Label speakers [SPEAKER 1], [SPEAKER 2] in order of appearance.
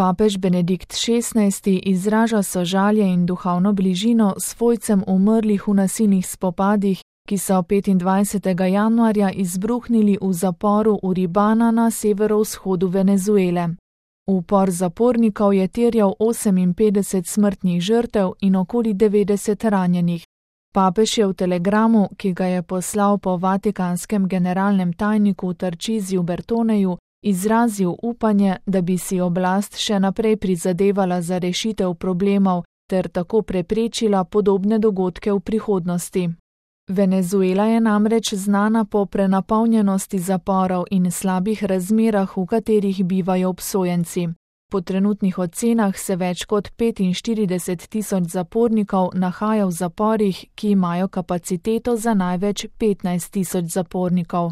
[SPEAKER 1] Papež Benedikt XVI. Izraža sožalje in duhovno bližino svojcem umrlih v nasilnih spopadih, ki so 25. januarja izbruhnili v zaporu Uribana na severovzhodu Venezuele. Upor zapornikov je terjal 58 smrtnih žrtev in okoli 90 ranjenih. Papež je v telegramu, ki ga je poslal po vatikanskem generalnem tajniku Tarčiziju Bertoneju, izrazil upanje, da bi si oblast še naprej prizadevala za rešitev problemov ter tako preprečila podobne dogodke v prihodnosti. Venezuela je namreč znana po prenapolnjenosti zaporov in slabih razmerah, v katerih bivajo obsojenci. Po trenutnih ocenah se več kot 45.000 zapornikov nahaja v zaporih, ki imajo kapaciteto za največ 15.000 zapornikov.